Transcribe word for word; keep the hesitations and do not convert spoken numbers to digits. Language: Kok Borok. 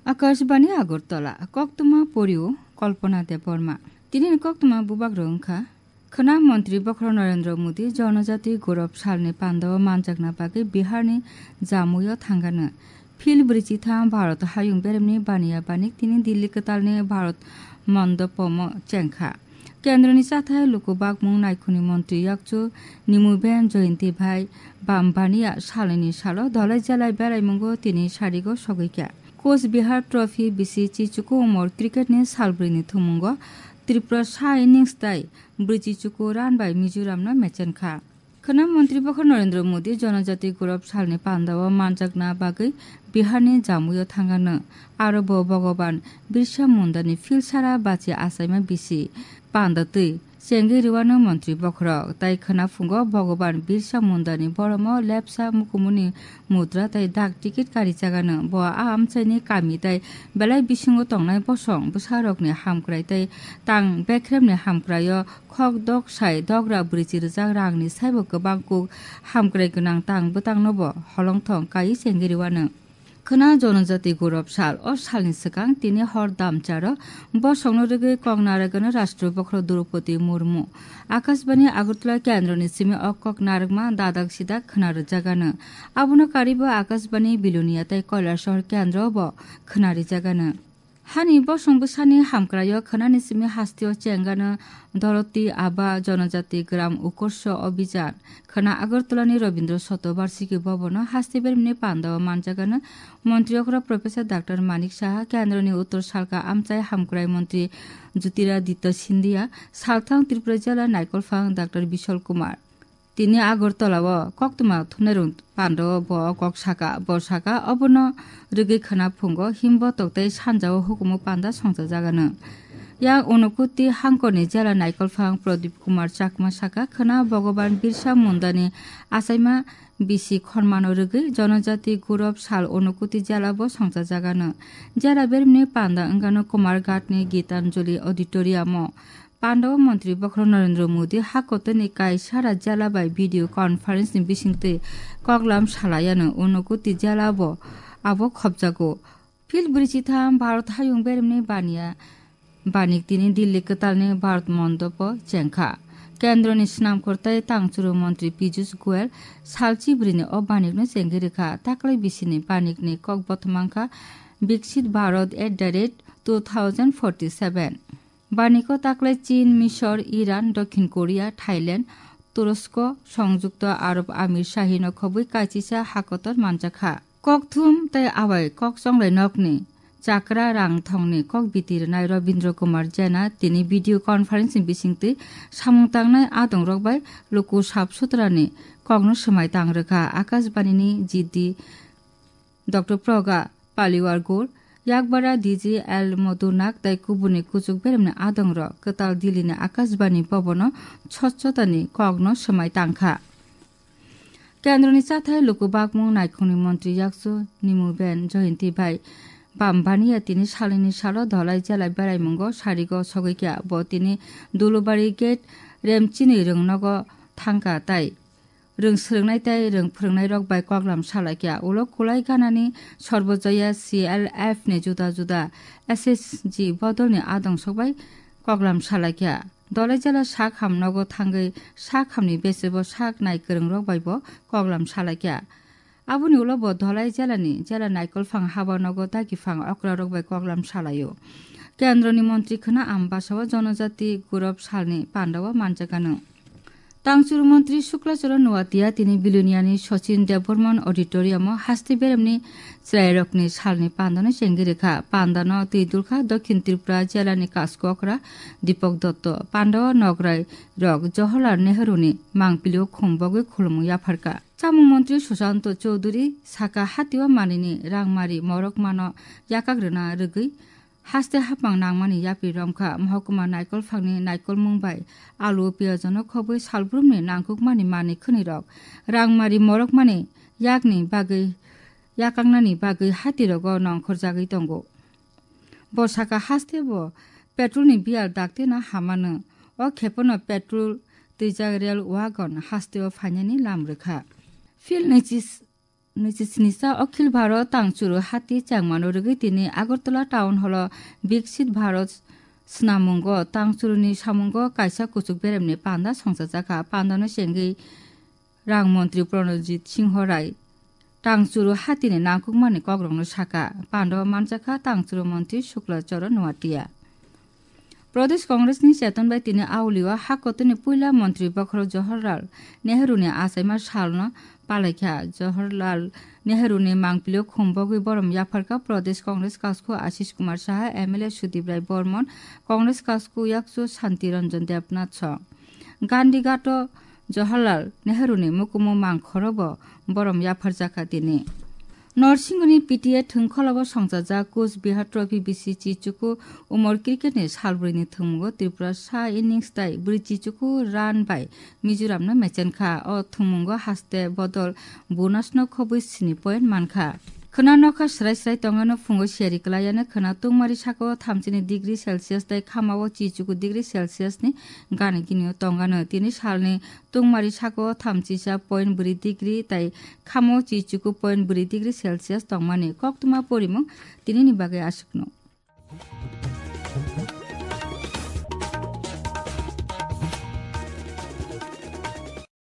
Akashbani Agartala, koktwma porio Kalpana Debbarma. Tini ni koktwma bubak rok wngkha. Khwna Montri Bokhorok Narendra Modi Jonojati Gaurav Salni pandao manjakna bagwi Biharni Jamui-o thangano. Phil brwichitham Bharat hayung beremni baniya banik tini Delhi kwtalni Bharat Mondopomo chengkha. Kendroni chathai luku bakmung naikhungni montri yakchu Nimuben Joyinti bai bam baniya salnini salo Dhalai Jalai beraimungo tini sarigo sogwikha. Coach Bihar Trophy bisi chichuku umor cricket ni salbrwini thumungo Tripura sa innings tai brwichi chuku run bai Mizoram no mechenkha. Khwna Montri Bokhorok Narendra Modi Jonojati Gaurav Salni pandao manjakna bagwi Biharni Jamui-o thangano. Aro bo Bhogoban Birsa Mundani philsara bachi achaima bisi panda twi chengwi rwano Montri Bokhorok. Tai khwna phungo Bhogoban Birsa Mundani boromo lepsa mukumuni mudra tai dak ticket karijagano. Bo a amchaini kami tai belai bisingo tongnai bosong bwsarokni hamkrai tai tang bekremni hamkraio khok dok sai dogra brwichi rwjak rangni saibo kwbang kuk hamkrai gwnang tang bwtangnobo holongthong kaiwi chengwi rwano. Khwna Jonojati Gaurav Sal. O salni swkang tini hor damcharo bosongno rwgwi kok narwgano Rashtra Bokhorok Droupadi Murmu. Akashbani Agartala kendroni simi o kok narwkma dadak sidak khwna rwjagano. Abono karibo Akashbani Bilonia tei Kailasahar kendro bo khwna rwjagano. Hani bosong bwsani hamkraio khwnani simi hasteo chengano Doroti Aba Jonojati Gram Utkarsh Abhijan. Khwna Agartalani Rabindra Shatobarshiki Bhavan-o haste beremni pandao manjagano Montri okra Professor Doctor Manik Saha, kendroni uttor salka amchai hamkrai montri Jyotiraditya Scindia, salthang Tripura jela naikolphang Doctor Bishal Kumar. Tini Agartala-o koktwma thumnairok pandao bo kok saka, bo saka, obono rwgwi khwna phungo himbo toktei sanjao hukumu panda songchajagano. Yang Unokuti hangkorni jela naikolphang Pradip Kumar Chakma saka, khwna Bhogoban Birsa Mundani achaima bisi khormano rwgwi Jonojati Gaurav Sal Unokuti jela bo songchajagano. Jela beremni panda wngano Kumarghatni Gitanjali Auditorium-o. Pandao Montri Bokhorok Narendra Modi hakotorni kaisara jela bai video conference-ni bisingtwi koklam salayano Unokuti jela bo abo khopjago. Phil brwichitham Bharat hayung beremni baniya banik tini Delhi kwtalni Bharat Mondopo chengkha. Kendroni swnamkhor tei tangchuru montri Piyush Goyal salchi bwrwini o banikno chengwi rwkha. Taklai bisini banikni kok bothomangkha Viksit Bharat at the rate two thousand forty-seven. Baniko taklai Chin, Misor, Iran, Dokhin Korea, Thailand, Turosko, Songjukto Arab Amir Shahino khobwi kaichisa hakotor manjakha. Kokthum tei abai kok chonglai nokni chakra rang thongni kok biti rwnai Rabindra Kumar Jaina tini video conference ni bisingtwi samung tangnai adongrok bai luku sap sutrani kokno swmai tang rwkha. Akashbani ni G D Doctor Praga Paliwar Gour, Yakbara D G L Madhunak tei kubuni kuchuk beremni adongrok kwtal Dillini Akashbani Bhavan-o swchhotani kokno swmai tangkha. Kendroni chathai luku bakmung naikhungni montri yakchu Nimuben Joyinti bai bam baniya tini salnini salo Dhalai jela beraimungo sarigo sogwikha. Bo tini Dulubari gate Remchini rwngnogo thangkha tai rwng swrwngnai tei rwng phwrwngnairok bai koklam salaikha. Ulo kulai ganani Sarbojoya C L F ni juda juda S H G bodolni adong sokbai koklam salaikha. Dhalai jela sak ham nogo thangwi sak hamni besebo sak nai kwrwngrok baibo koklam salaikha. Aboni ulo bo Dhalai jelani jela naikolphang haba nogo dagiphang okrarok bai koklam salaio. Kendroni montri khwna Ambasao Jonojati Gaurav Salni pandao manjakano. Tangchuru montri Shukla Charan Noatia tini Biloniani Sachin Debbarman Auditorium-o haste beremni chwrairokni salni pandano chengwi rwkha. Pandano twi dulkha Dokhin Tripura jelani kaskokra Deepak Dotto. Pandao nograi rok Jawaharlal Nehru-ni mangpilio khum bogwi khulumung yapharkha. Chamung montri Sushanta Chowdhury saka hatio manwini rangmari morokmano yakak rwna rwgwi haste hapang nangmani yapri romkha. Mohokuma naikolphangni naikolmung bai alu piyajono khobwi salbrumni nangkukmani manwi khwnwirok rangmari morokmani yakni bagwi yakaknani bagwi hatirogo nongkhorjagwi tongo. Bo saka haste bo petrolni biyal daktino hamano. O khepono petrol twijak rail wagon hasteo phainani lam rwkha. Phil nwichis-, nwichis nisa Akhil Bharat tangchuru hati changmano rwgwi tini Agartala Town Hall-o Viksit Bharat swnamungo tangchuruni samungo kaisa kuchuk beremni panda songchajakha. Pandano chengwi Rang Montri Pranojit Singho Rai tangchuru hatini nangkukmani kokrokno saka. Pando manjakha tangchuru montri Shukla Charan Noatia. Pradesh Congress ni cheton bai tini Auli o ha kotorni puila montri bokhorok Jawaharlal Nehru ni achaima salno palaikha. Jawaharlal Nehru ni mangpili o khum bogwi borom yapharkha Pradesh Congress kasku Ashish Kumar Saha, M L A Sudip Rai Bormon, Congress kasku yakchu Shanti Ranjan Debnath song. Gandhi Ghat o Jawaharlal Nehru ni mukumu mangkhoro bo borom yapharjakha tini. Norsingoni P T A thwngkholobo songchajak Coach Bihar Trophy bisi chichuku umor cricket ni salbrwi ni thwngmungo Tripura sa innings tai bwrwi chichuku run bai Mizoram no mechenkha. O thwngmungo haste bodol bonus no khobwi sini point mankha. Khwna nokha srai srai tongano phungo siyari kwlaiano khwna tungmari sako thamchini degree Celsius tai khamao chichuku degree Celsius ni gana gini o tongano. Tini salni tungmari sako thamchisa point bwrwi degree tai khamo chichuku point bwrwi degree Celsius tongmani koktwma porimung tinini bagwi aswkno.